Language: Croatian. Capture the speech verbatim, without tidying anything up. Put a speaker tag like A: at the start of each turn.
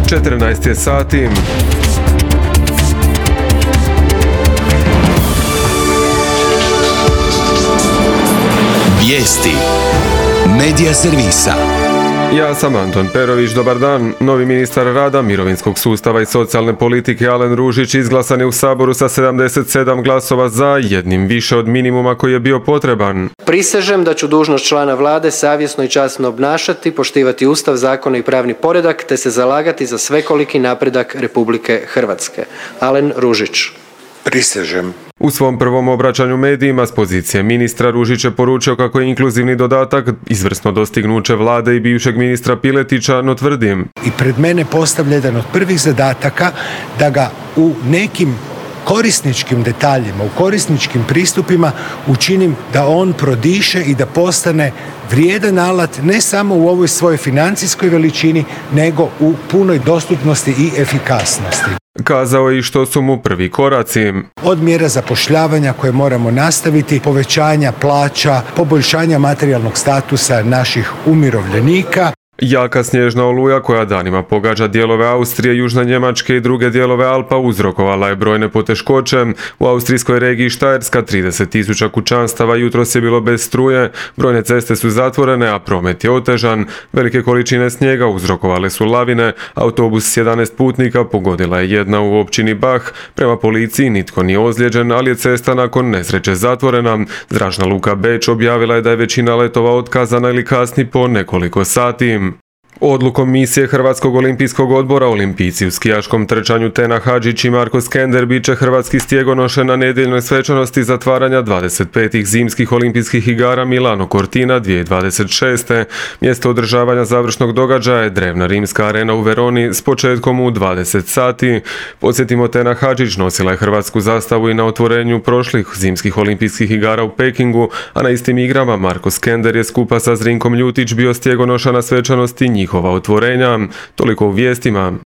A: četrnaest je sati.
B: Vijesti Medija servisa.
A: Ja sam Anton Perović, dobar dan. Novi ministar rada, mirovinskog sustava i socijalne politike Alen Ružić izglasan je u Saboru sa sedamdeset sedam glasova za, jednim više od minimuma koji je bio potreban.
C: Prisežem da ću dužnost člana vlade savjesno i časno obnašati, poštivati Ustav, zakone i pravni poredak, te se zalagati za svekoliki napredak Republike Hrvatske. Alen Ružić.
D: Prisežem.
A: U svom prvom obraćanju medijima s pozicije ministra Ružić je poručio kako je inkluzivni dodatak izvrsno dostignuće vlade i bivšeg ministra Piletića, no tvrdim.
D: I pred mene postavlja jedan od prvih zadataka da ga u nekim korisničkim detaljima, u korisničkim pristupima učinim da on prodiše i da postane vrijedan alat ne samo u ovoj svojoj financijskoj veličini, nego u punoj dostupnosti i efikasnosti.
A: Kazao je i što su mu prvi koraci.
D: Od mjera zapošljavanja koje moramo nastaviti, povećanja plaća, poboljšanja materijalnog statusa naših umirovljenika.
A: Jaka snježna oluja koja danima pogađa dijelove Austrije, južne Njemačke i druge dijelove Alpa uzrokovala je brojne poteškoće. U austrijskoj regiji Štajerska trideset tisuća kućanstava jutros je bilo bez struje, brojne ceste su zatvorene, a promet je otežan. Velike količine snijega uzrokovale su lavine, autobus s jedanaest putnika pogodila je jedna u općini Bach. Prema policiji nitko nije ozlijeđen, ali je cesta nakon nesreće zatvorena. Zračna luka Beč objavila je da je većina letova otkazana ili kasni po nekoliko sati. Odlukom misije Hrvatskog olimpijskog odbora olimpijci u skijaškom trčanju Tena Hadžić i Marko Skender bit će hrvatski stjegonoše na nedjeljnoj svečanosti zatvaranja dvadeset petih zimskih olimpijskih igara Milano Cortina dvije tisuće dvadeset šeste. Mjesto održavanja završnog događaja je drevna rimska arena u Veroni s početkom u dvadeset sati. Podsjetimo, Tena Hadžić nosila je hrvatsku zastavu i na otvorenju prošlih zimskih olimpijskih igara u Pekingu, a na istim igrama Marko Skender je skupa sa Zrinkom Ljutić bio stjegonoša na svečanosti njihova otvorenja. Toliko u vijestima.